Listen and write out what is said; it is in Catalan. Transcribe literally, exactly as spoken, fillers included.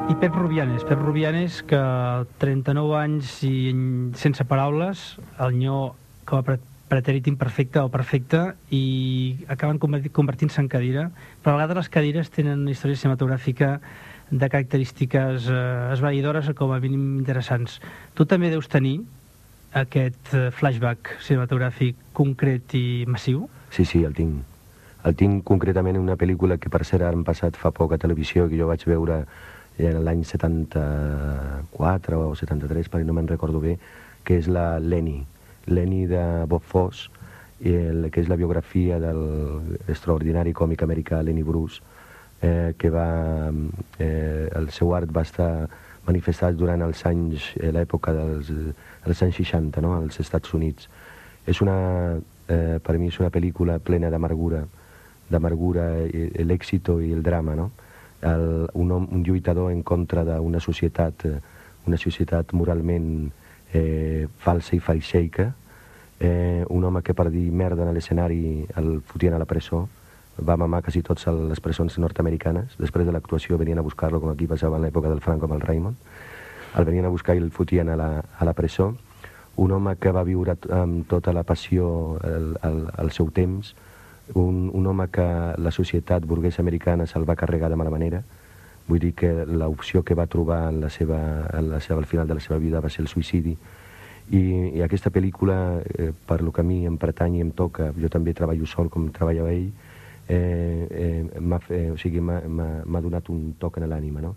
I Pep Rubianes, Pep Rubianes, que trenta-nou anys i sense paraules, el nyo com a pretèrit imperfecte o perfecte, i acaben convertint-se en cadira. Però a vegades les cadires tenen una història cinematogràfica de característiques eh, esvaïdores o com a mínim interessants. Tu també deus tenir aquest flashback cinematogràfic concret i massiu? Sí, sí, el tinc. El tinc concretament en una pel·lícula que per cert han passat fa poc a televisió, que jo vaig veure l'any setanta-quatre o setanta-tres, perquè no me'n recordo bé, que és la Lenny. Lenny de Bob Fosse, el, que és la biografia de l'extraordinari còmic americà Lenny Bruce, eh, que va... Eh, el seu art va estar manifestat durant els anys, eh, l'època dels, dels anys seixanta, no?, als Estats Units. És una, eh, per mi és una pel·lícula plena d'amargura, d'amargura, l'èxito i el drama, no? El, un, home, un lluitador en contra d'una societat, una societat moralment eh, falsa i faixeica, eh, un home que per dir merda a l'escenari el fotien a la presó, va mamar quasi tots les presons nord-americanes, després de l'actuació venien a buscar-lo, com aquí passava en l'època del Franco amb el Raymond, el venien a buscar i el fotien a la, a la presó, un home que va viure amb tota la passió el, el, el seu temps, Un, un home que la societat burguesa americana se'l va carregar de mala manera. Vull dir que l'opció que va trobar en la seva, en la seva, al final de la seva vida va ser el suïcidi. I, i aquesta pel·lícula, eh, per lo que a mi em pertany i em toca, jo també treballo sol com treballava ell, eh, eh, m'ha o sigui, m'ha donat un toc en l'ànima, no?